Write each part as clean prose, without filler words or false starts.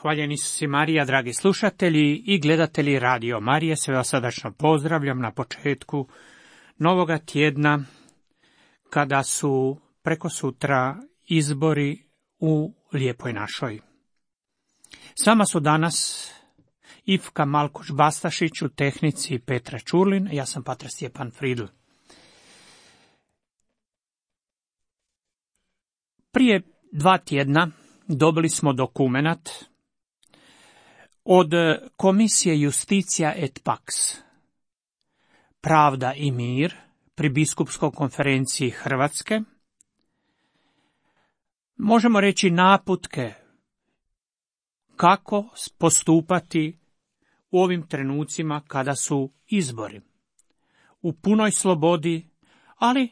Hvaljeni su si Marija, dragi slušatelji i gledatelji Radio Marije, sve vas srdačno pozdravljam na početku novoga tjedna, kada su prekosutra izbori u Lijepoj našoj. S vama su danas Ivka Malkuš-Bastašić, u tehnici Petra Čurlin, ja sam patar Stjepan Fridl. Prije 2 tjedna dobili smo dokumenat od Komisije Justitia et Pax, Pravda i mir, pri Biskupskoj konferenciji Hrvatske. Možemo reći naputke kako postupati u ovim trenucima kada su izbori. U punoj slobodi, ali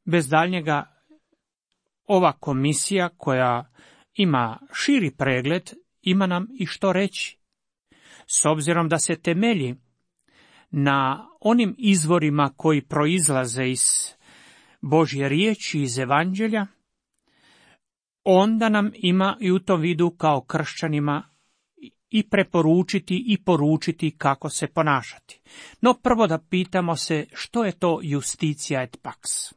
bez daljnjega ova komisija koja ima širi pregled, ima nam i što reći. S obzirom da se temelji na onim izvorima koji proizlaze iz Božje riječi, iz Evanđelja, onda nam ima i u tom vidu kao kršćanima i preporučiti i poručiti kako se ponašati. No prvo da pitamo se što je to Justitia et Pax.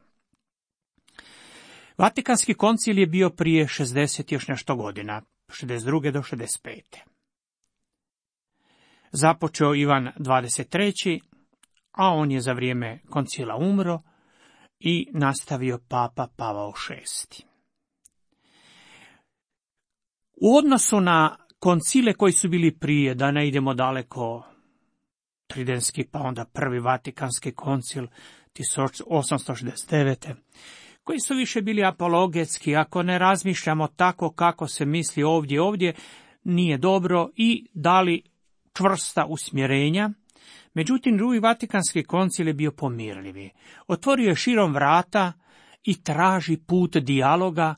Vatikanski koncil je bio prije 60 još nešto godina, 62. do 65. Započeo Ivan 23., a on je za vrijeme koncila umro i nastavio Papa Pavao VI. U odnosu na koncile koji su bili prije, da ne idemo daleko, Tridentski, pa onda prvi Vatikanski koncil 1869. koji su više bili apologetski, ako ne razmišljamo tako kako se misli ovdje nije dobro i dali čvrsta usmjerenja. Međutim, drugi Vatikanski koncil je bio pomirljivi. Otvorio je širom vrata i traži put dijaloga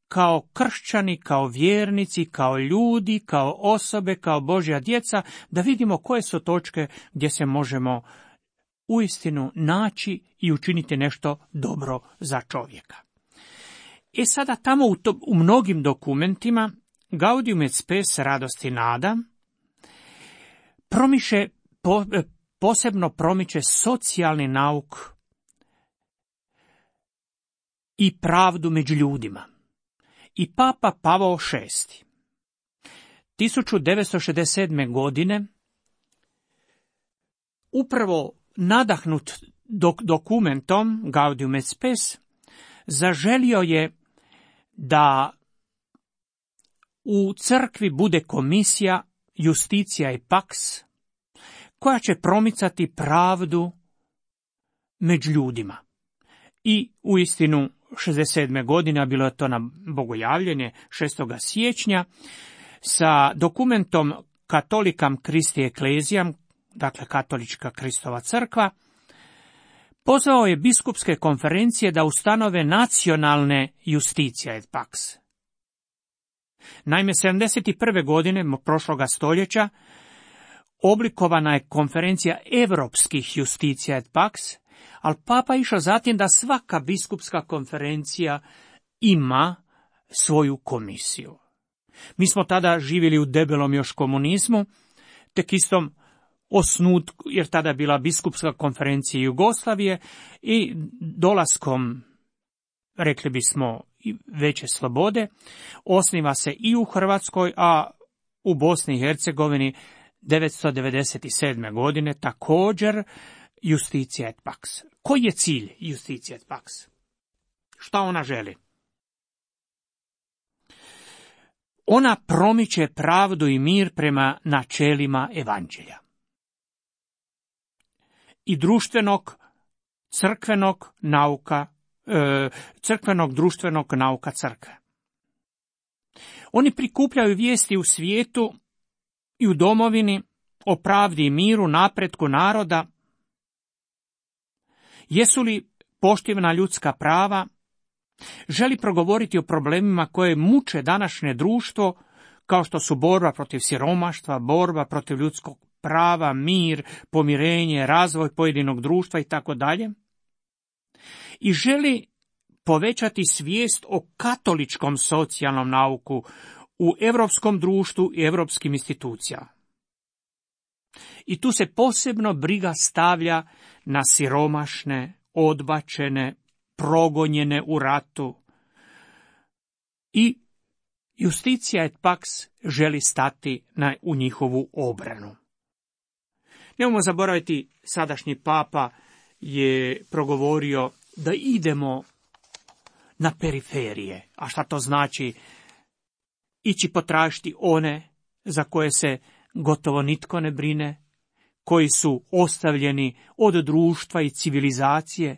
kao kršćani, kao vjernici, kao ljudi, kao osobe, kao Božja djeca, da vidimo koje su točke gdje se možemo uistinu naći i učiniti nešto dobro za čovjeka. Sada tamo u mnogim dokumentima Gaudium et Spes, radost i nada, posebno promiče socijalni nauk i pravdu među ljudima. I Papa Pavao VI 1967. godine, upravo nadahnut dokumentom Gaudium et Spes, zaželio je da u crkvi bude komisija Justitia et Pax, koja će promicati pravdu među ljudima. I uistinu 67. godine, bilo je to na bogojavljenje 6. siječnja, sa dokumentom Katolikam Christi Ecclesiam, dakle katolička Kristova crkva, pozvao je biskupske konferencije da ustanove nacionalne Justitia et Pax. Naime, 71. godine prošloga stoljeća oblikovana je konferencija europskih Justitia et Pax, ali Papa išao zatim da svaka biskupska konferencija ima svoju komisiju. Mi smo tada živjeli u debelom još komunizmu, tek istom osnutku, jer tada je bila biskupska konferencija Jugoslavije i dolaskom, rekli bismo, veće slobode, osniva se i u Hrvatskoj, a u Bosni i Hercegovini 1997. godine također Justitia et Pax. Koji je cilj Justitia et Pax? Šta ona želi? Ona promiče pravdu i mir prema načelima Evanđelja i društvenog, crkvenog društvenog nauka crkve. Oni prikupljaju vijesti u svijetu i u domovini o pravdi i miru, napretku naroda. Jesu li poštivana ljudska prava? Želi progovoriti o problemima koje muče današnje društvo, kao što su borba protiv siromaštva, borba protiv ljudskog prava, mir, pomirenje, razvoj pojedinog društva i tako dalje. I želi povećati svijest o katoličkom socijalnom nauku, u europskom društvu i europskim institucijama. I tu se posebno briga stavlja na siromašne, odbačene, progonjene u ratu. I Justitia et Pax želi stati u njihovu obranu. Nemojmo zaboraviti, sadašnji papa je progovorio da idemo na periferije. A šta to znači? Ići potražiti one za koje se gotovo nitko ne brine, koji su ostavljeni od društva i civilizacije,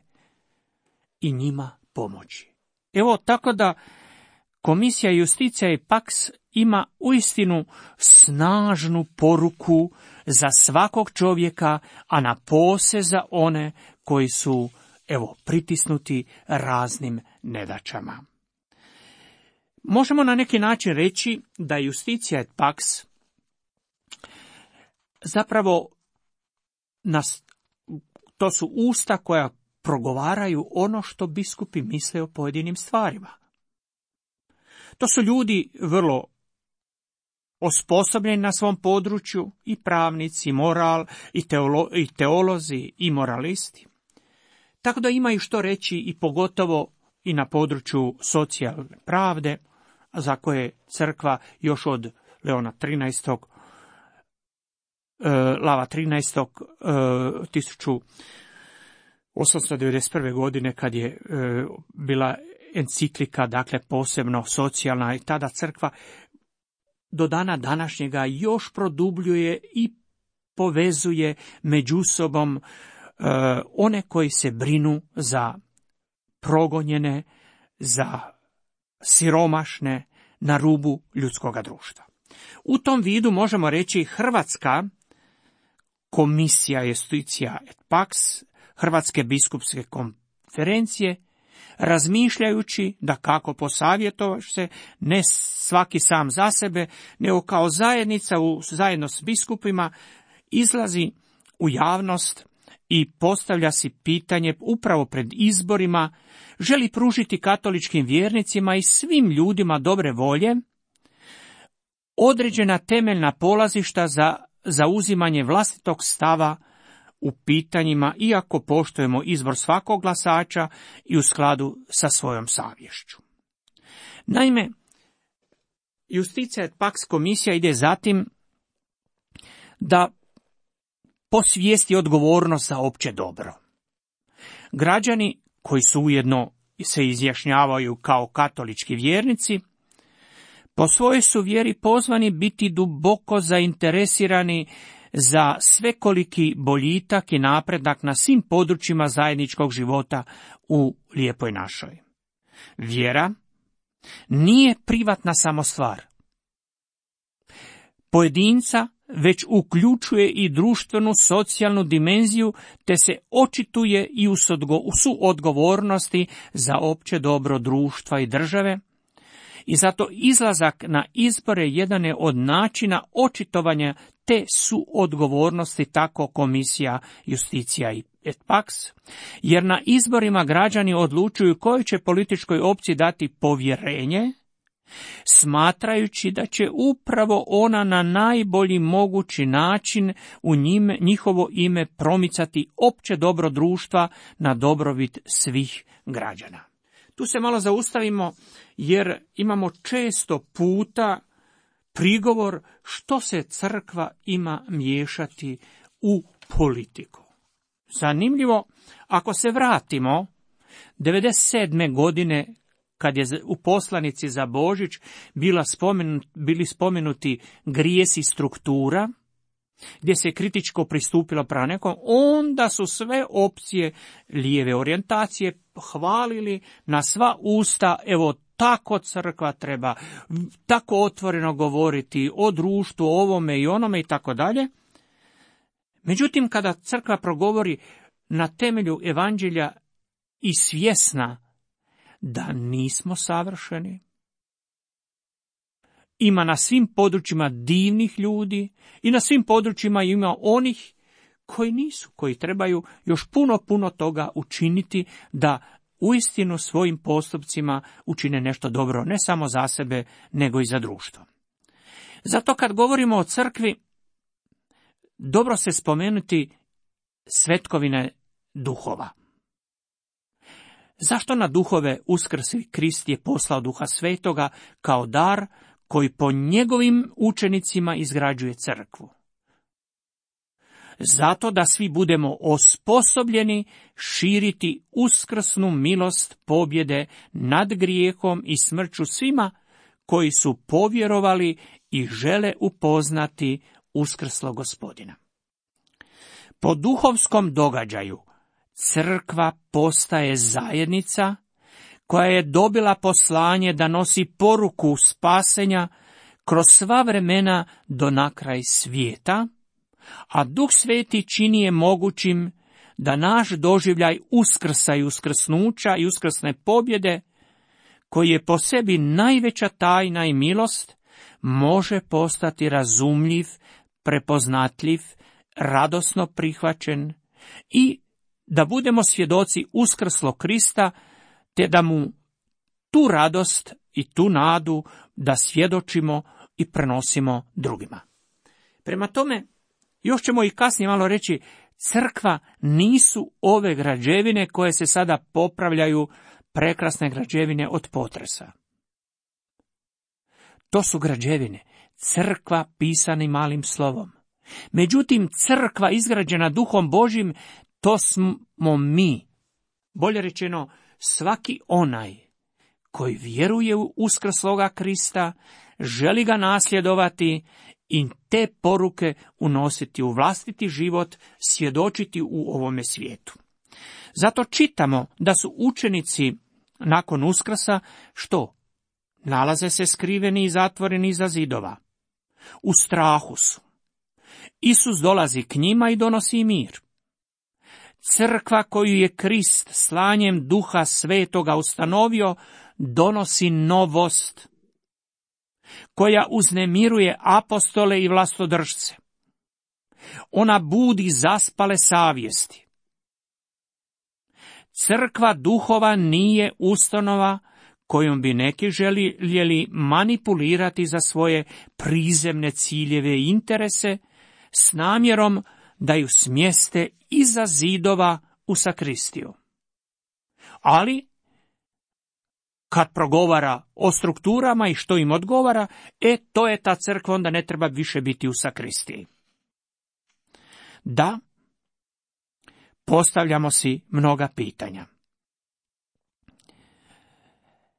i njima pomoći. Evo, tako da Komisija Justitia et Pax ima uistinu snažnu poruku za svakog čovjeka, a napose za one koji su, pritisnuti raznim nedaćama. Možemo na neki način reći da Justitia et Pax zapravo to su usta koja progovaraju ono što biskupi misle o pojedinim stvarima. To su ljudi vrlo osposobljeni na svom području, i pravnici, i teolozi, i moralisti. Tako da imaju što reći i pogotovo i na području socijalne pravde, za koje crkva još od Leona XIII. Lava XIII. 1891. godine, kad je bila enciklika, dakle posebno socijalna, i tada crkva do dana današnjega još produbljuje i povezuje među sobom one koji se brinu za progonjene, za siromašne na rubu ljudskoga društva. U tom vidu možemo reći Hrvatska komisija Justitia et Pax, Hrvatske biskupske konferencije, razmišljajući da kako posavjetovaš se, ne svaki sam za sebe, nego kao zajednica zajedno s biskupima izlazi u javnost i postavlja si pitanje upravo pred izborima, želi pružiti katoličkim vjernicima i svim ljudima dobre volje određena temeljna polazišta za zauzimanje vlastitog stava u pitanjima, iako poštujemo izbor svakog glasača i u skladu sa svojom savješću. Naime, Justitia et Pax komisija ide zatim da posvijesti odgovornost za opće dobro. Građani koji su ujedno se izjašnjavaju kao katolički vjernici, po svojoj su vjeri pozvani biti duboko zainteresirani za svekoliki boljitak i napredak na svim područjima zajedničkog života u lijepoj našoj. Vjera nije privatna samo stvar pojedinca, već uključuje i društvenu socijalnu dimenziju, te se očituje i u suodgovornosti za opće dobro društva i države. I zato izlazak na izbore jedan je od načina očitovanja te suodgovornosti, tako komisija Justitia et Pax, jer na izborima građani odlučuju kojoj će političkoj opciji dati povjerenje, smatrajući da će upravo ona na najbolji mogući način u njihovo ime promicati opće dobro društva na dobrobit svih građana. Tu se malo zaustavimo, jer imamo često puta prigovor što se crkva ima miješati u politiku. Zanimljivo, ako se vratimo 97. godine, kad je u poslanici za Božić bili spomenuti grijesi struktura, gdje se kritičko pristupilo prema nekom, onda su sve opcije lijeve orijentacije hvalili na sva usta, evo tako crkva treba, tako otvoreno govoriti o društvu, ovome i onome i tako dalje. Međutim, kada crkva progovori na temelju evanđelja i svjesna da nismo savršeni, ima na svim područjima divnih ljudi i na svim područjima ima onih koji nisu, koji trebaju još puno toga učiniti da uistinu svojim postupcima učine nešto dobro, ne samo za sebe, nego i za društvo. Zato kad govorimo o crkvi, dobro se spomenuti svetkovine duhova. Zašto na duhove uskrsi Krist je poslao Duha Svetoga kao dar koji po njegovim učenicima izgrađuje crkvu? Zato da svi budemo osposobljeni širiti uskrsnu milost pobjede nad grijehom i smrću svima koji su povjerovali i žele upoznati uskrslog Gospodina. Po duhovskom događaju crkva postaje zajednica koja je dobila poslanje da nosi poruku spasenja kroz sva vremena do na kraj svijeta, a Duh Sveti čini je mogućim da naš doživljaj uskrsa i uskrsnuća i uskrsne pobjede, koji je po sebi najveća tajna i milost, može postati razumljiv, prepoznatljiv, radosno prihvaćen i da budemo svjedoci uskrslog Krista, te da mu tu radost i tu nadu da svjedočimo i prenosimo drugima. Prema tome, još ćemo i kasnije malo reći, crkva nisu ove građevine koje se sada popravljaju, prekrasne građevine od potresa. To su građevine, crkva pisanim malim slovom. Međutim, crkva izgrađena Duhom Božjim, to smo mi. Bolje rečeno, svaki onaj koji vjeruje u uskrsloga Krista, želi ga nasljedovati i te poruke unositi u vlastiti život, svjedočiti u ovome svijetu. Zato čitamo da su učenici nakon uskrsa, što? Nalaze se skriveni i zatvoreni iza zidova. U strahu su. Isus dolazi k njima i donosi mir. Crkva koju je Krist slanjem Duha Svetoga ustanovio, donosi novost, koja uznemiruje apostole i vlastodržce. Ona budi zaspale savjesti. Crkva duhova nije ustanova kojom bi neki željeli manipulirati za svoje prizemne ciljeve i interese s namjerom da ju smjeste iza zidova u sakristiju. Ali, kad progovara o strukturama i što im odgovara, to je ta crkva, onda ne treba više biti u sakristiji. Da, postavljamo si mnoga pitanja.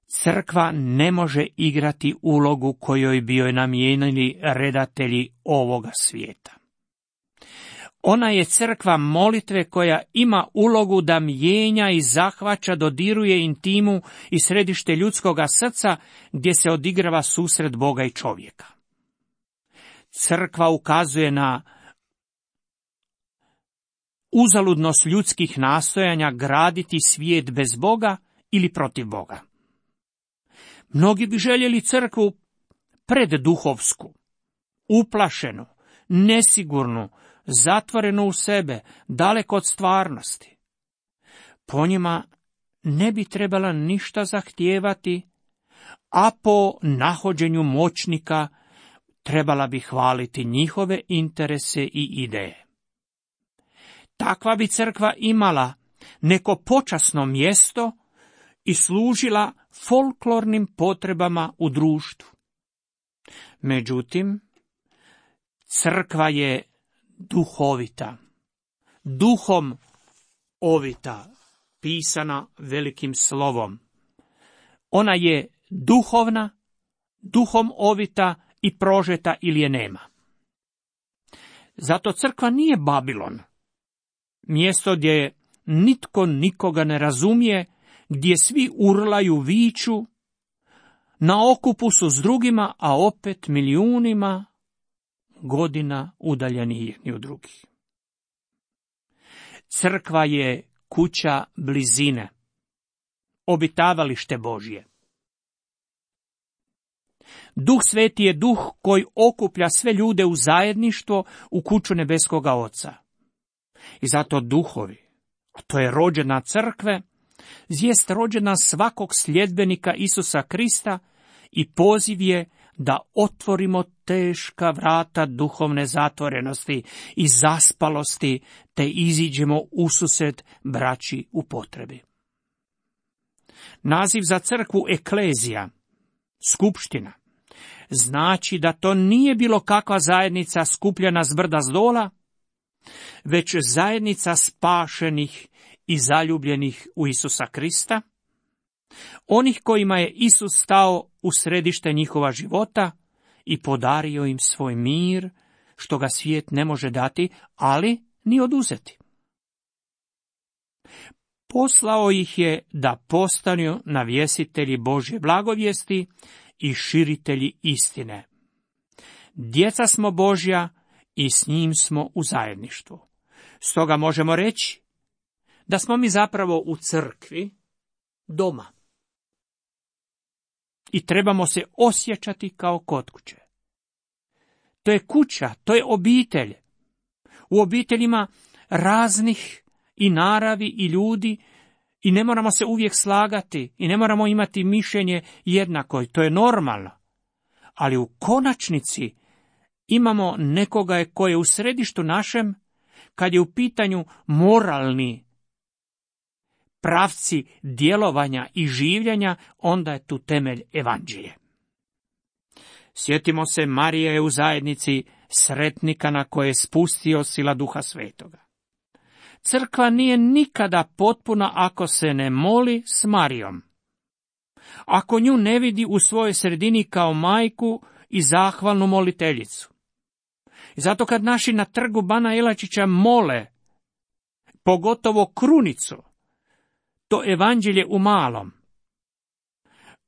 Crkva ne može igrati ulogu kojoj bi joj namijenili redatelji ovoga svijeta. Ona je crkva molitve koja ima ulogu da mijenja i zahvaća, dodiruje intimu i središte ljudskoga srca gdje se odigrava susret Boga i čovjeka. Crkva ukazuje na uzaludnost ljudskih nastojanja graditi svijet bez Boga ili protiv Boga. Mnogi bi željeli crkvu predduhovsku, uplašenu, nesigurnu, zatvorenu u sebe, daleko od stvarnosti. Po njima ne bi trebala ništa zahtijevati, a po nahođenju moćnika trebala bi hvaliti njihove interese i ideje. Takva bi crkva imala neko počasno mjesto i služila folklornim potrebama u društvu. Međutim, crkva je duhovita, duhom ovita, pisana velikim slovom. Ona je duhovna, duhom ovita i prožeta ili je nema. Zato crkva nije Babilon, mjesto gdje nitko nikoga ne razumije, gdje svi urlaju, viču, na okupu su s drugima, a opet milijunima godina udaljeni jedni od drugih. Crkva je kuća blizine, obitavalište Božje. Duh Sveti je duh koji okuplja sve ljude u zajedništvo u kuću nebeskoga Oca. I zato duhovi, a to je rođena crkve, Zvijest rođena svakog sljedbenika Isusa Krista i poziv je da otvorimo teška vrata duhovne zatvorenosti i zaspalosti, te iziđemo ususret braći u potrebi. Naziv za crkvu eklezija, skupština, znači da to nije bilo kakva zajednica skupljena s brda zdola, već zajednica spašenih i zaljubljenih u Isusa Krista, onih kojima je Isus stao u središte njihova života i podario im svoj mir, što ga svijet ne može dati, ali ni oduzeti. Poslao ih je da postanu navjesitelji Božje blagovijesti i širitelji istine. Djeca smo Božja i s njim smo u zajedništvu. Stoga možemo reći da smo mi zapravo u crkvi doma. I trebamo se osjećati kao kod kuće. To je kuća, to je obitelj. U obiteljima raznih i naravi i ljudi i ne moramo se uvijek slagati i ne moramo imati mišljenje jednako, to je normalno. Ali u konačnici imamo nekoga koji je u središtu našem kad je u pitanju moralni pravci djelovanja i življenja, onda je tu temelj evanđelje. Sjetimo se, Marija je u zajednici sretnika na koje je spustio sila Duha Svetoga. Crkva nije nikada potpuna ako se ne moli s Marijom. Ako nju ne vidi u svojoj sredini kao majku i zahvalnu moliteljicu. I zato kad naši na trgu Bana Jelačića mole, pogotovo krunicu, to evanđelje u malom,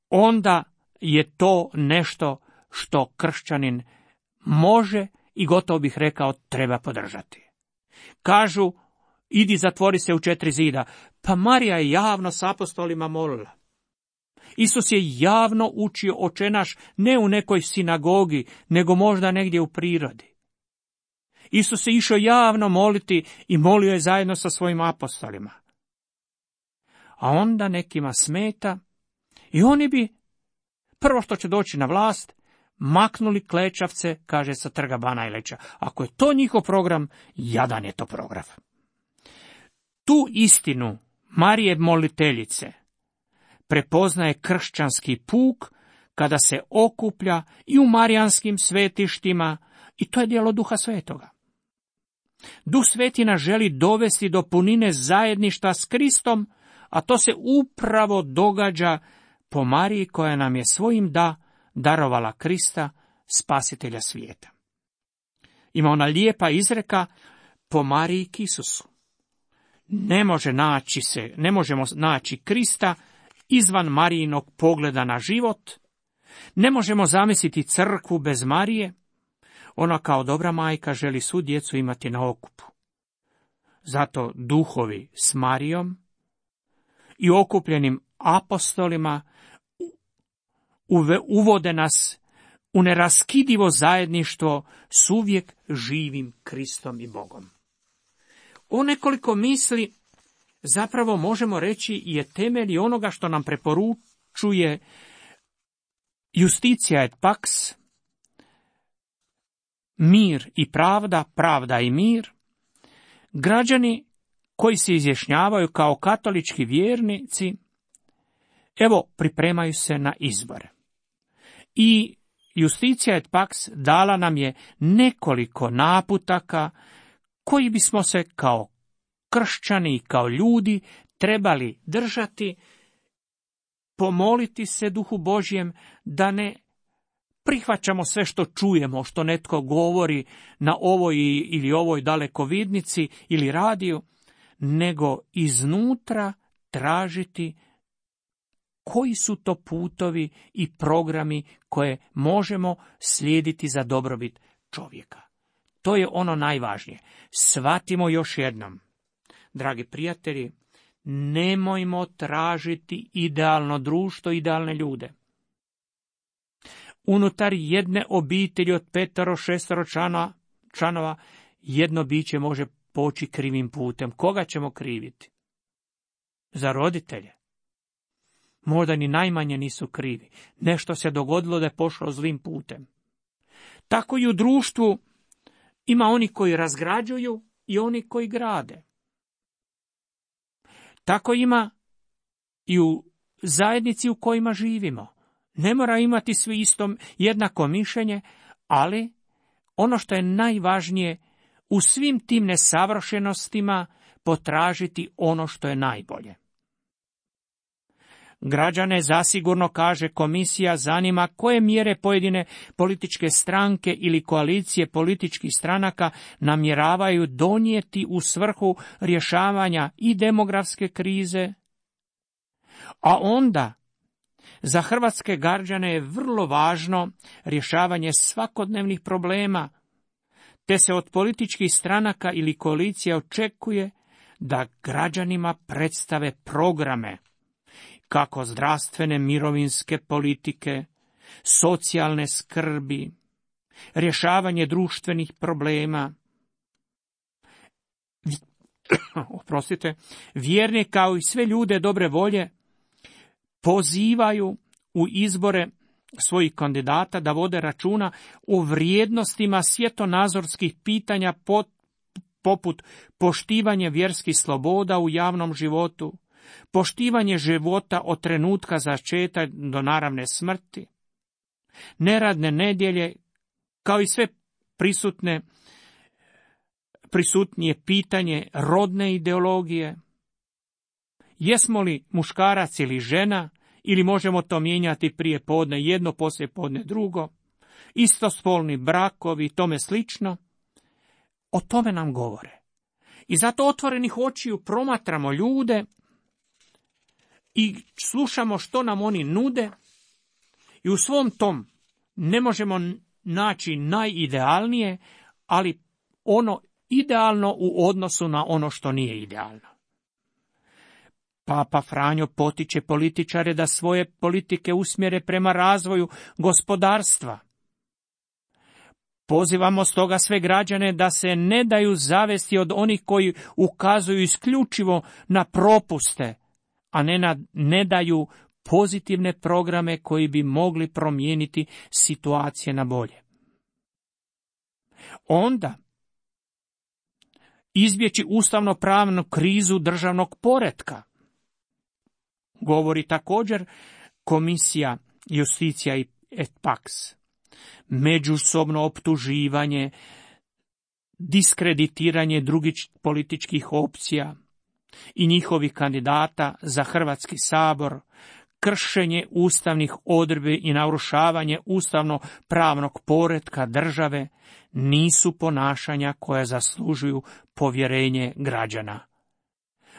onda je to nešto što kršćanin može i gotovo bih rekao treba podržati. Kažu, idi zatvori se u 4 zida. Pa Marija je javno s apostolima molila. Isus je javno učio Oče naš ne u nekoj sinagogi, nego možda negdje u prirodi. Isus se išao javno moliti i molio je zajedno sa svojim apostolima. A onda nekima smeta i oni bi, prvo što će doći na vlast, maknuli klečavce, kaže, sa trga Bana Jelačića. Ako je to njihov program, jadan je to program. Tu istinu Marije moliteljice prepoznaje kršćanski puk kada se okuplja i u marijanskim svetištima, i to je djelo Duha Svetoga. Duh Sveti nas želi dovesti do punine zajedništva s Kristom, a to se upravo događa po Mariji koja nam je svojim darovala Krista, spasitelja svijeta. Ima ona lijepa izreka po Mariji k Isusu. Ne možemo naći Krista izvan Marijinog pogleda na život, ne možemo zamisliti crkvu bez Marije. Ona kao dobra majka želi svu djecu imati na okupu. Zato duhovi s Marijom i okupljenim apostolima uvode nas u neraskidivo zajedništvo s uvijek živim Kristom i Bogom. O nekoliko misli zapravo možemo reći je temelj onoga što nam preporučuje Justitia et pax, mir i pravda, pravda i mir. Građani koji se izjašnjavaju kao katolički vjernici, evo, pripremaju se na izbore. I Justitia et pax dala nam je nekoliko naputaka koji bismo se kao kršćani i kao ljudi trebali držati, pomoliti se Duhu Božjem da ne prihvaćamo sve što čujemo, što netko govori na ovoj ili ovoj dalekovidnici ili radiju, nego iznutra tražiti koji su to putovi i programi koje možemo slijediti za dobrobit čovjeka. To je ono najvažnije. Shvatimo još jednom, dragi prijatelji, nemojmo tražiti idealno društvo, idealne ljude. Unutar jedne obitelji od 5-6 članova jedno biće može poći krivim putem. Koga ćemo kriviti? za roditelje. Možda ni najmanje nisu krivi. Nešto se dogodilo da je pošlo zlim putem. Tako i u društvu ima oni koji razgrađuju i oni koji grade. Tako ima i u zajednici u kojima živimo. Ne mora imati svi isto jednako mišljenje, ali ono što je najvažnije, u svim tim nesavršenostima potražiti ono što je najbolje. Građane zasigurno, kaže komisija, zanima koje mjere pojedine političke stranke ili koalicije političkih stranaka namjeravaju donijeti u svrhu rješavanja i demografske krize, a onda za hrvatske građane je vrlo važno rješavanje svakodnevnih problema, te se od političkih stranaka ili koalicija očekuje da građanima predstave programe kako zdravstvene, mirovinske politike, socijalne skrbi, rješavanje društvenih problema. Vjerni kao i sve ljude dobre volje pozivaju u izbore svojih kandidata da vode računa o vrijednostima svjetonazorskih pitanja poput poštivanja vjerskih sloboda u javnom životu, poštivanje života od trenutka začeća do naravne smrti, neradne nedjelje, kao i sve prisutnije pitanje rodne ideologije. Jesmo li muškarac ili žena, ili možemo to mijenjati prije podne jedno, poslije podne drugo, istospolni brakovi i tome slično, o tome nam govore. I zato otvorenih očiju promatramo ljude i slušamo što nam oni nude i u svom tom ne možemo naći najidealnije, ali ono idealno u odnosu na ono što nije idealno. Papa Franjo potiče političare da svoje politike usmjere prema razvoju gospodarstva. Pozivamo stoga sve građane da se ne daju zavesti od onih koji ukazuju isključivo na propuste, a ne daju pozitivne programe koji bi mogli promijeniti situacije na bolje. Onda izbjeći ustavno-pravnu krizu državnog poretka. Govori također komisija Justicija et Pax. Međusobno optuživanje, diskreditiranje drugih političkih opcija i njihovih kandidata za Hrvatski sabor, kršenje ustavnih odredbi i narušavanje ustavno-pravnog poretka države nisu ponašanja koja zaslužuju povjerenje građana,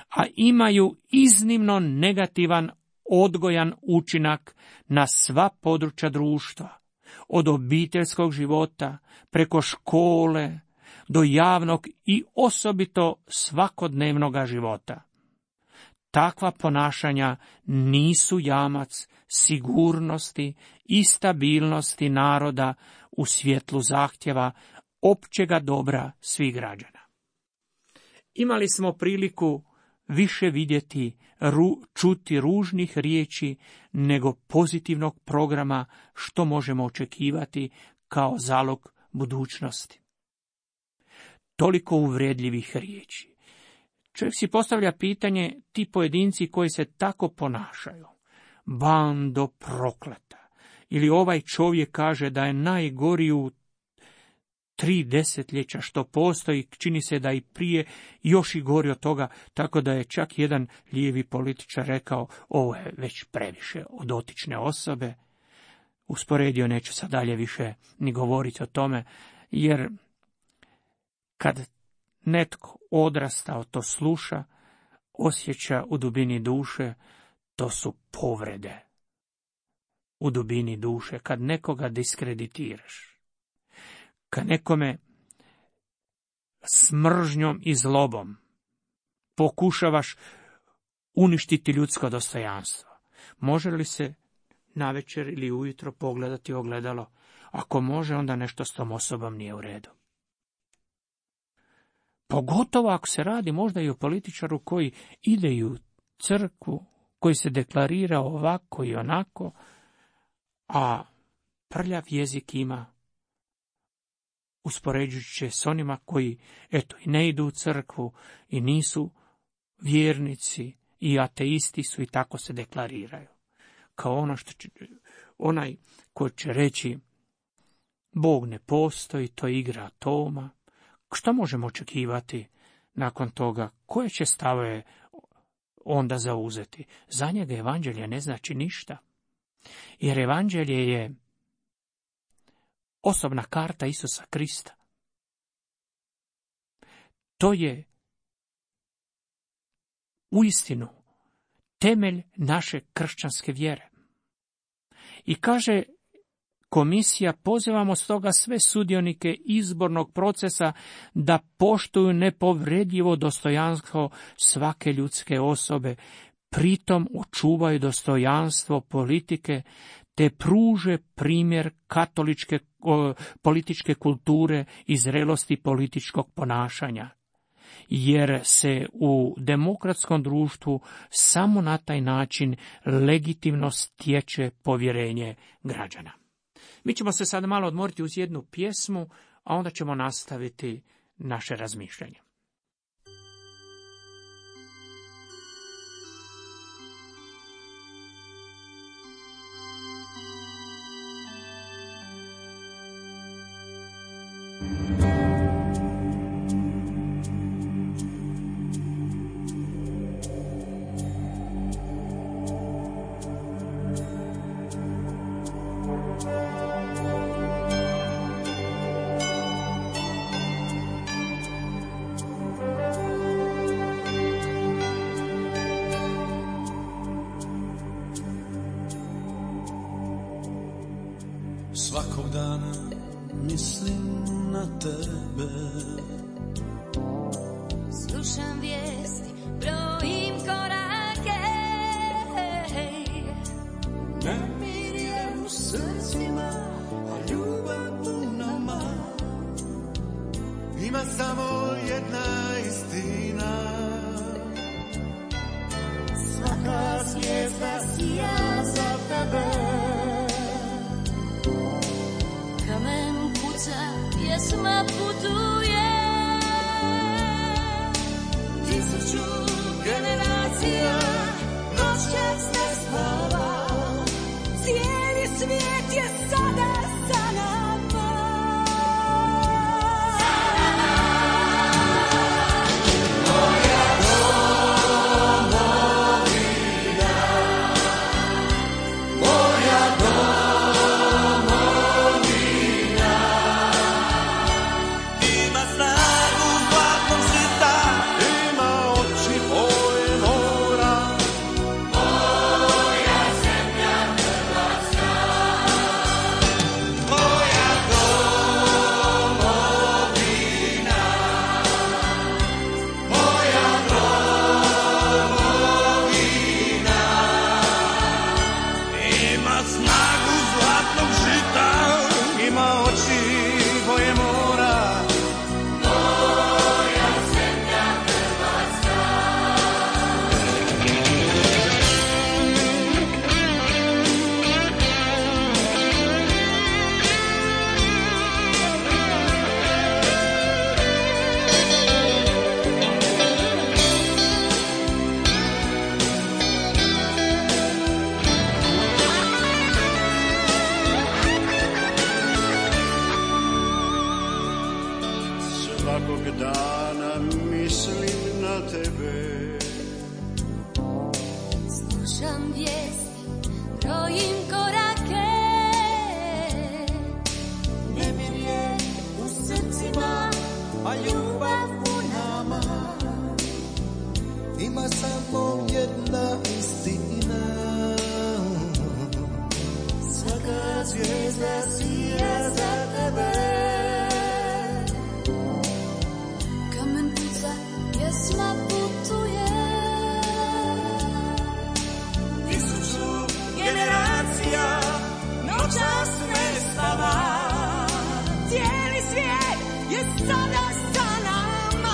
a imaju iznimno negativan odgojan učinak na sva područja društva, od obiteljskog života preko škole do javnog i osobito svakodnevnog života. Takva ponašanja nisu jamac sigurnosti i stabilnosti naroda u svjetlu zahtjeva općega dobra svih građana. Imali smo priliku više vidjeti, čuti ružnih riječi nego pozitivnog programa što možemo očekivati kao zalog budućnosti. Toliko uvredljivih riječi. Čovjek si postavlja pitanje, ti pojedinci koji se tako ponašaju, bando prokleta, ili ovaj čovjek kaže da je najgori u 3 desetljeća što postoji, čini se da i prije još i gori od toga, tako da je čak jedan lijevi političar rekao, ovo je već previše od dotične osobe. Usporedio, neću sad dalje više ni govoriti o tome, jer kad netko odrastao to sluša, osjeća u dubini duše, to su povrede u dubini duše. Kad nekoga diskreditiraš, kad nekome s mržnjom i zlobom pokušavaš uništiti ljudsko dostojanstvo, može li se navečer ili ujutro pogledati ogledalo? Ako može, onda nešto s tom osobom nije u redu. Pogotovo ako se radi možda i o političaru koji ide u crkvu koji se deklarira ovako i onako, a prljav jezik ima, uspoređujući s onima koji, eto, i ne idu u crkvu i nisu vjernici i ateisti su i tako se deklariraju. Kao ono onaj ko će reći Bog ne postoji, to je igra atoma. Što možemo očekivati nakon toga? Koje će stave onda zauzeti? Za njega evanđelje ne znači ništa. Jer evanđelje je osobna karta Isusa Krista. To je uistinu temelj naše kršćanske vjere. I kaže komisija, pozivamo stoga sve sudionike izbornog procesa da poštuju nepovredivo dostojanstvo svake ljudske osobe, pritom očuvaju dostojanstvo politike, te pruže primjer katoličke političke kulture i zrelosti političkog ponašanja. Jer se u demokratskom društvu samo na taj način legitimno stječe povjerenje građana. Mi ćemo se sad malo odmoriti uz jednu pjesmu, a onda ćemo nastaviti naše razmišljanje. Svakog dana mislim na tebe, slušam vijesti, brojim korake, nemir je u srcima, a ljubav u nama. Ima samo jedna istina, svaka zvijezda sija za tebe. kamen kuca, pjesma putuje, 1000 generacija noćas ne spava, cijeli svijet je sada sa nama. Svakog dana mislim na tebe, Slušam vijesti, brojim korake, nemir je u srcima, a ljubav u nama. Ima samo jedna istina, svaka zvijezda sija za tebe. kamen kuca, pjesma putuje, 1000 generacija noćas ne spava, cijeli svijet je sada sa nama.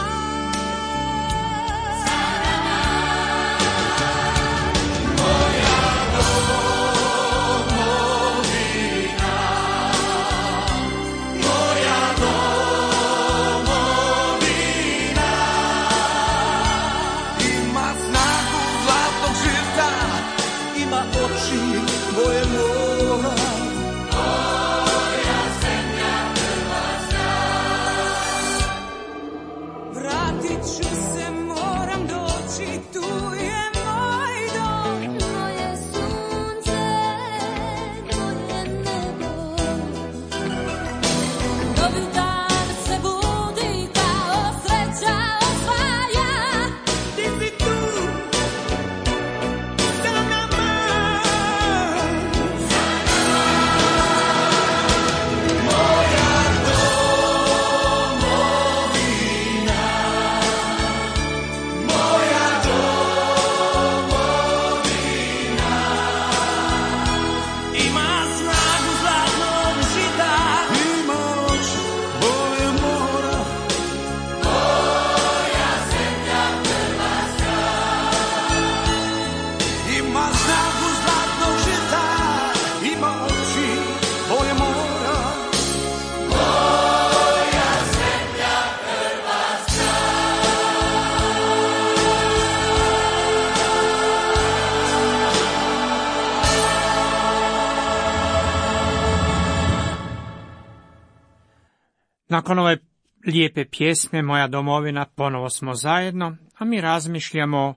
Nakon ove lijepe pjesme Moja domovina ponovo smo zajedno, a mi razmišljamo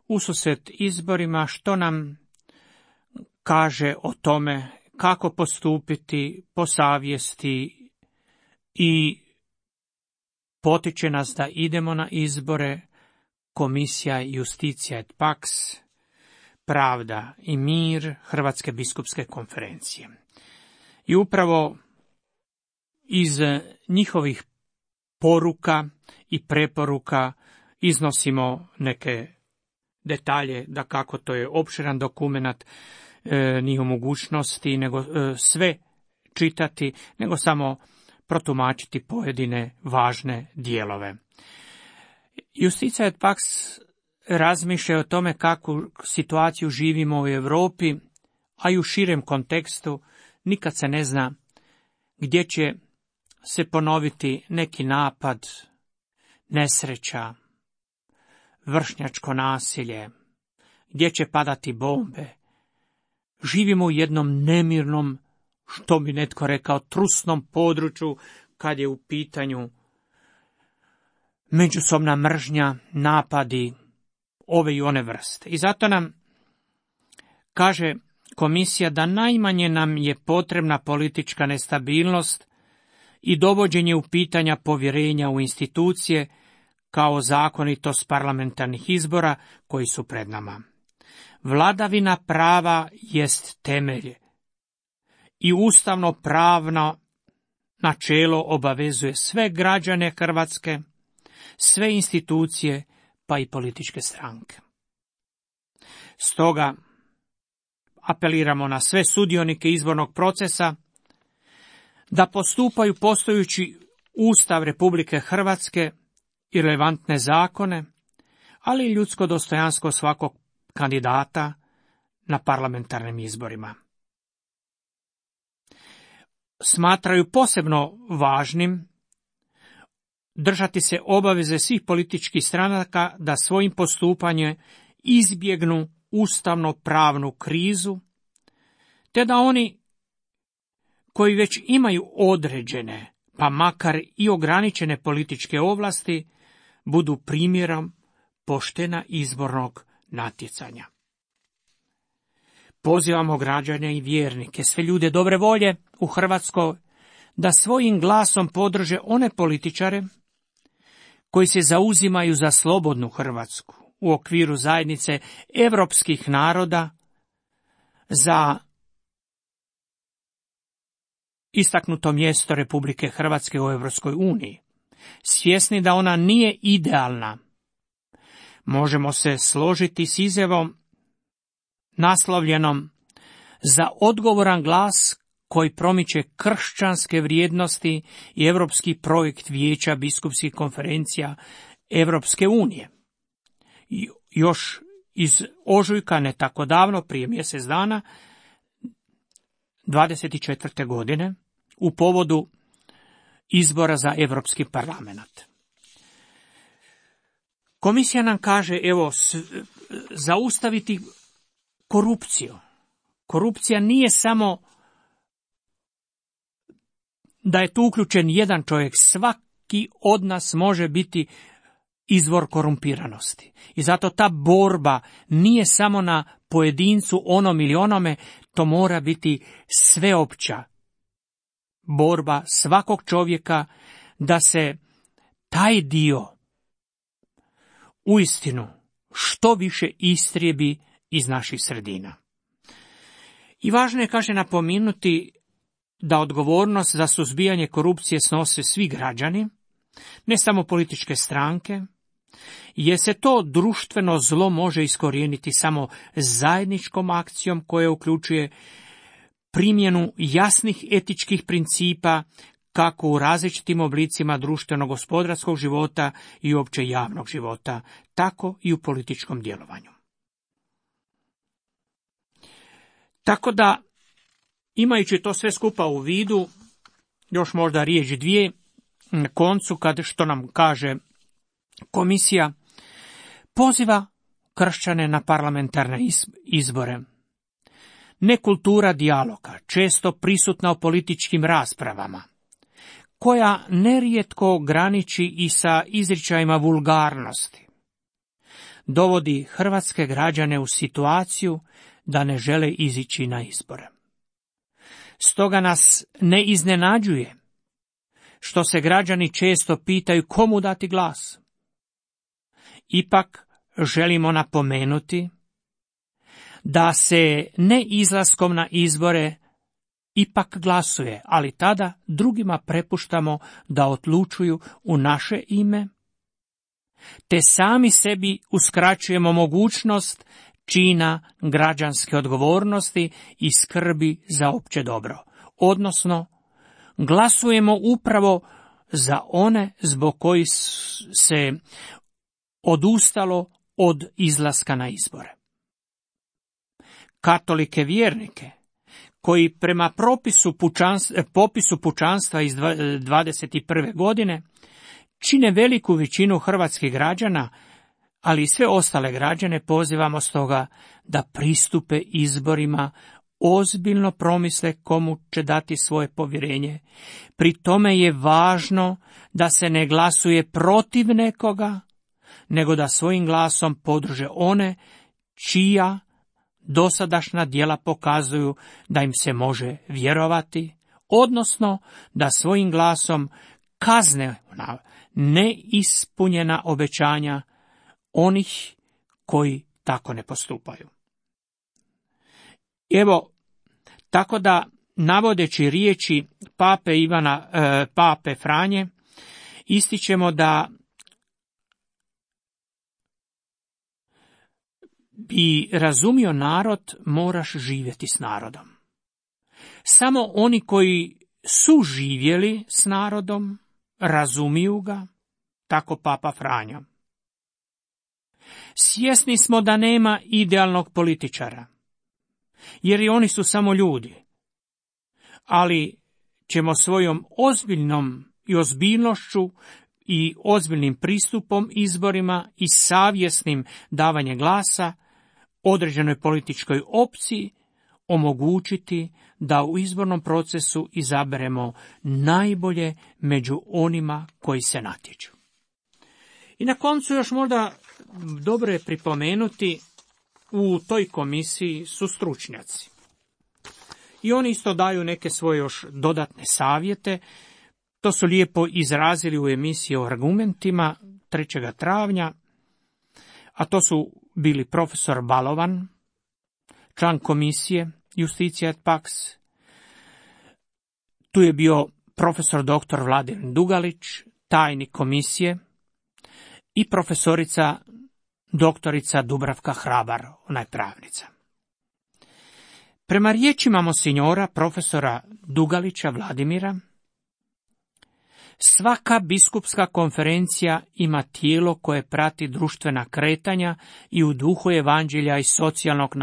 ususret izborima što nam kaže o tome kako postupiti po savjesti i potiče nas da idemo na izbore Komisija Justicija et Pax, Pravda i mir Hrvatske biskupske konferencije. I upravo iz njihovih poruka i preporuka iznosimo neke detalje, da kako to je opširan dokumenat, nije u mogućnosti nego sve čitati, nego samo protumačiti pojedine važne dijelove. Justicija et Pax razmišlja o tome kakvu situaciju živimo u Europi, a i u širem kontekstu. Nikad se ne zna gdje će se ponoviti neki napad, nesreća, vršnjačko nasilje, gdje će padati bombe. Živimo u jednom nemirnom, što bi netko rekao, trusnom području kad je u pitanju međusobna mržnja, napadi ove i one vrste. I zato nam kaže komisija da najmanje nam je potrebna politička nestabilnost i dovođenje u pitanja povjerenja u institucije kao zakonitost parlamentarnih izbora koji su pred nama. Vladavina prava jest temelj i ustavno pravno načelo obavezuje sve građane Hrvatske, sve institucije pa i političke stranke. Stoga apeliramo na sve sudionike izbornog procesa da postupaju poštujući Ustav Republike Hrvatske i relevantne zakone, ali i ljudsko dostojanstvo svakog kandidata na parlamentarnim izborima. Smatraju posebno važnim držati se obaveze svih političkih stranaka da svojim postupanjem izbjegnu ustavno-pravnu krizu, te da oni koji već imaju određene, pa makar i ograničene političke ovlasti, budu primjerom poštena izbornog natjecanja. Pozivamo građane i vjernike, sve ljude dobre volje u Hrvatskoj, da svojim glasom podrže one političare koji se zauzimaju za slobodnu Hrvatsku u okviru zajednice europskih naroda, za istaknuto mjesto Republike Hrvatske u Europskoj uniji. Svjesni da ona nije idealna, možemo se složiti s izjavom naslovljenom za odgovoran glas koji promiče kršćanske vrijednosti i europski projekt Vijeća biskupskih konferencija Europske unije. Još iz ožujka, ne tako davno, prije mjesec dana, 24. godine, u povodu izbora za Europski parlament. Komisija nam kaže, zaustaviti korupciju. Korupcija nije samo da je tu uključen jedan čovjek, svaki od nas može biti izvor korumpiranosti. I zato ta borba nije samo na pojedincu, onom ili onome, to mora biti sveopća borba svakog čovjeka da se taj dio uistinu što više istrijebi iz naših sredina. I važno je, kaže, napomenuti da odgovornost za suzbijanje korupcije snose svi građani, ne samo političke stranke, jer se to društveno zlo može iskorijeniti samo zajedničkom akcijom koja uključuje primjenu jasnih etičkih principa kako u različitim oblicima društveno-gospodarskog života i uopće javnog života, tako i u političkom djelovanju. Tako da, imajući to sve skupa u vidu, još možda riječ dvije na koncu, kad što nam kaže komisija, poziva kršćane na parlamentarne izbore. Nekultura dijaloga, često prisutna u političkim raspravama, koja nerijetko graniči i sa izričajima vulgarnosti, dovodi hrvatske građane u situaciju da ne žele izići na izbore. Stoga nas ne iznenađuje što se građani često pitaju komu dati glas. Ipak želimo napomenuti da se ne izlaskom na izbore ipak glasuje, ali tada drugima prepuštamo da odlučuju u naše ime, te sami sebi uskraćujemo mogućnost čina građanske odgovornosti i skrbi za opće dobro, odnosno glasujemo upravo za one zbog kojih se odustalo od izlaska na izbore. Katolike vjernike, koji prema popisu pučanstva iz 21. godine čine veliku većinu hrvatskih građana, ali i sve ostale građane pozivamo stoga da pristupe izborima, ozbiljno promisle komu će dati svoje povjerenje. Pri tome je važno da se ne glasuje protiv nekoga, nego da svojim glasom podrže one čija dosadašnja djela pokazuju da im se može vjerovati, odnosno da svojim glasom kazne na neispunjena obećanja onih koji tako ne postupaju. Evo, tako da, navodeći riječi pape Franje, ističemo da bi razumio narod, moraš živjeti s narodom. Samo oni koji su živjeli s narodom, razumiju ga, tako papa Franjo. Svjesni smo da nema idealnog političara, jer i oni su samo ljudi, ali ćemo svojom ozbiljnošću i ozbiljnim pristupom izborima i savjesnim davanjem glasa određenoj političkoj opciji omogućiti da u izbornom procesu izaberemo najbolje među onima koji se natječu. I na koncu još možda dobro je pripomenuti, u toj komisiji su stručnjaci. I oni isto daju neke svoje još dodatne savjete. To su lijepo izrazili u emisiji o argumentima 3. travnja, a to su bili profesor Balovan, član komisije Justitia et Pax, tu je bio profesor dr. Vladimir Dugalić, tajnik komisije, i profesorica doktorica Dubravka Hrabar, ona je pravnica. Prema riječima monsinjora profesora Dugalića Vladimira, svaka biskupska konferencija ima tijelo koje prati društvena kretanja i u duhu evanđelja i socijalnog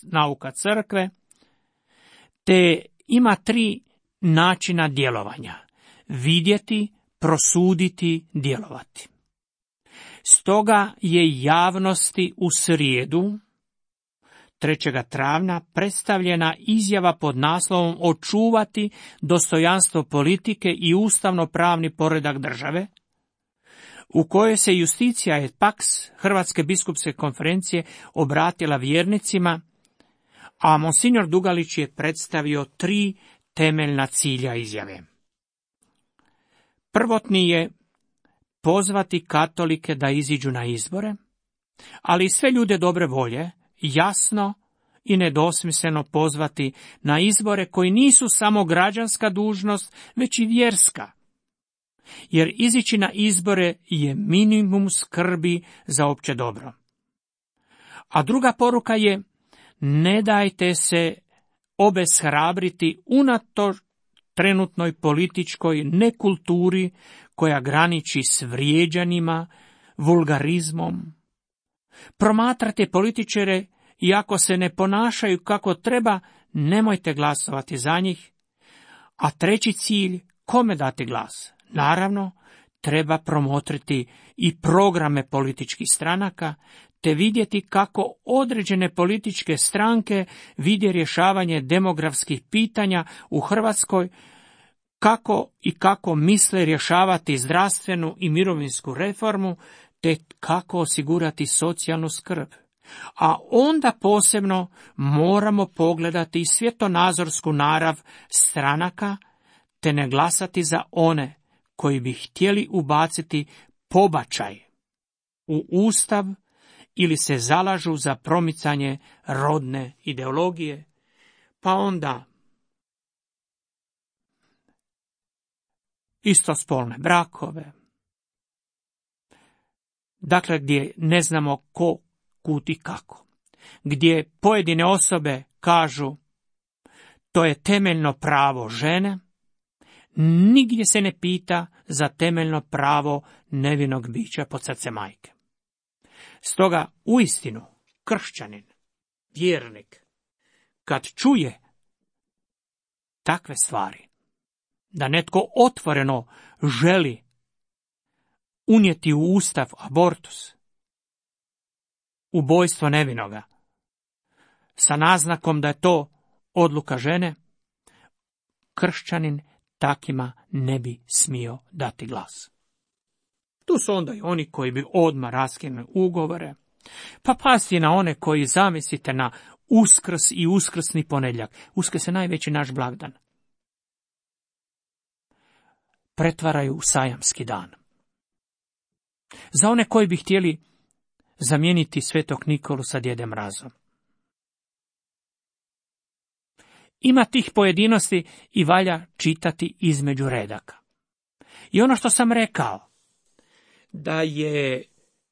nauka crkve, te ima 3 načina djelovanja: vidjeti, prosuditi, djelovati. Stoga je javnosti u srijedu 3. travnja predstavljena izjava pod naslovom "Očuvati dostojanstvo politike i ustavno-pravni poredak države", u kojoj se Justitia et Pax Hrvatske biskupske konferencije obratila vjernicima, a monsignor Dugalić je predstavio 3 temeljna cilja izjave. Prvotni je pozvati katolike da iziđu na izbore, ali i sve ljude dobre volje jasno i nedvosmisleno pozvati na izbore koji nisu samo građanska dužnost, već i vjerska. Jer izići na izbore je minimum skrbi za opće dobro. A druga poruka je: ne dajte se obeshrabriti unatoč trenutnoj političkoj nekulturi koja graniči s vrijeđanjima, vulgarizmom. Promatrate političare i ako se ne ponašaju kako treba, nemojte glasovati za njih. A treći cilj, kome dati glas? Naravno, treba promotriti i programe političkih stranaka, te vidjeti kako određene političke stranke vide rješavanje demografskih pitanja u Hrvatskoj, kako misle rješavati zdravstvenu i mirovinsku reformu, te kako osigurati socijalnu skrb. A onda posebno moramo pogledati i svjetonazorsku narav stranaka, te ne glasati za one koji bi htjeli ubaciti pobačaj u Ustav ili se zalažu za promicanje rodne ideologije, pa onda istospolne brakove. Dakle, gdje ne znamo ko, kud i kako. Gdje pojedine osobe kažu to je temeljno pravo žene, nigdje se ne pita za temeljno pravo nevinog bića pod srce majke. Stoga, uistinu, kršćanin, vjernik, kad čuje takve stvari, da netko otvoreno želi unijeti u Ustav abortus, ubojstvo nevinoga, sa naznakom da je to odluka žene, kršćanin takima ne bi smio dati glas. Tu su onda i oni koji bi odmah raskinuli ugovore, pa pasti na one koji, zamislite, na Uskrs i uskrsni ponedjeljak. Uskrs je najveći naš blagdan. Pretvaraju u sajamski dan. Za one koji bi htjeli zamijeniti Svetog Nikolu sa Djedem Mrazom. Ima tih pojedinosti i valja čitati između redaka. I ono što sam rekao, da je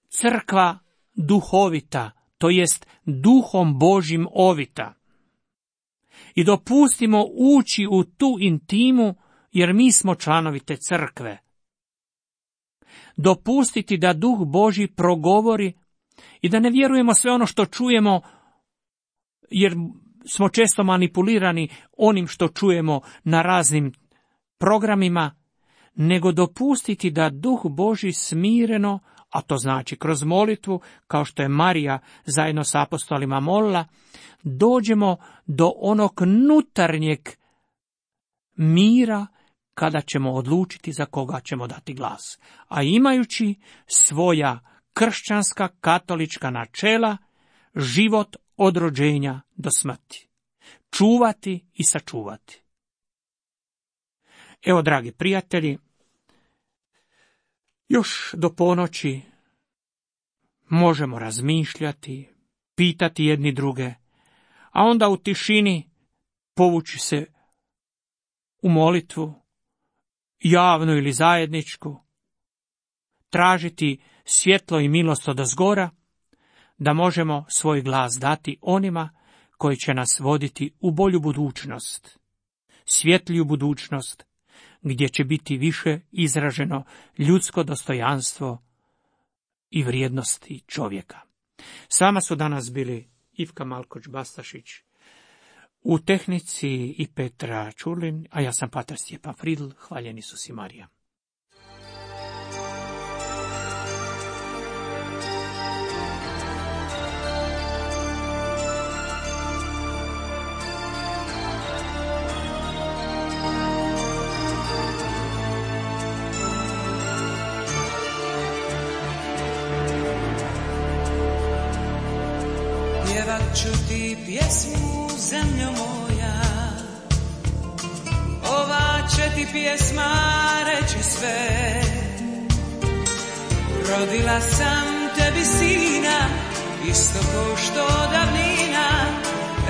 crkva duhovita, to jest duhom Božjim ovita. I dopustimo ući u tu intimu, jer mi smo članovi te crkve. Dopustiti da duh Božji progovori i da ne vjerujemo sve ono što čujemo, jer smo često manipulirani onim što čujemo na raznim programima, nego dopustiti da duh Božji smireno, a to znači kroz molitvu, kao što je Marija zajedno s apostolima molila, dođemo do onog unutarnjeg mira kada ćemo odlučiti za koga ćemo dati glas. A imajući svoja kršćanska katolička načela, život od rođenja do smrti. Čuvati i sačuvati. Evo, dragi prijatelji, još do ponoći možemo razmišljati, pitati jedni druge, a onda u tišini povući se u molitvu, javnu ili zajedničku, tražiti svjetlo i milost odozgora, da možemo svoj glas dati onima koji će nas voditi u bolju budućnost, svjetliju budućnost, gdje će biti više izraženo ljudsko dostojanstvo i vrijednosti čovjeka. S vama su danas bili Ivka Malkoć-Bastašić, u tehnici i Petra Čurlin, a ja sam pater Stjepan Fridl. Hvaljen Isus i Marija. Pjevat ću ti pjesmu, zemljo moja, ova će ti pjesma reći sve. Rodila sam tebi sina, isto ko što davnina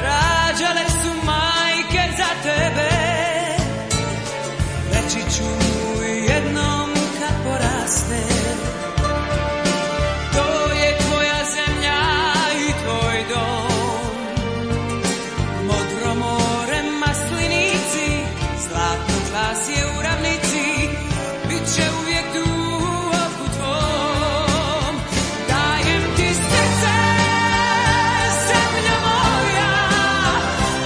rađale su majke za tebe. Reći ću mu jednom kad poraste, to je tvoja zemlja i tvoj dom. Modro more, maslinici, zlatno glas je u ravnici, bit će uvijek tu u oku tvom. Dajem ti srce, zemlja moja,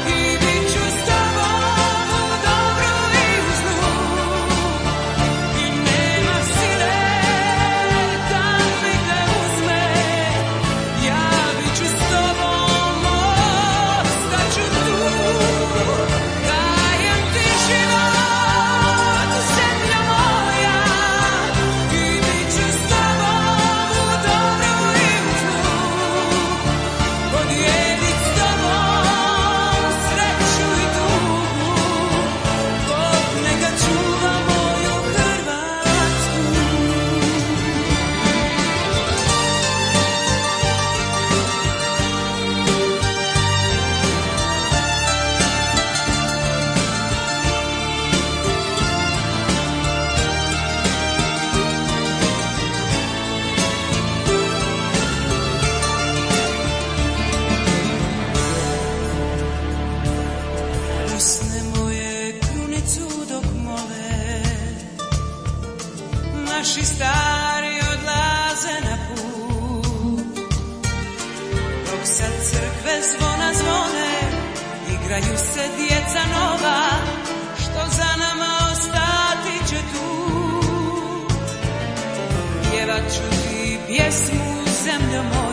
i bit ću s tobom u dobru i u zlu. rađaju se djeca nova, što za nama ostati će tu. Pjevat ću ti pjesmu, zemljo moja,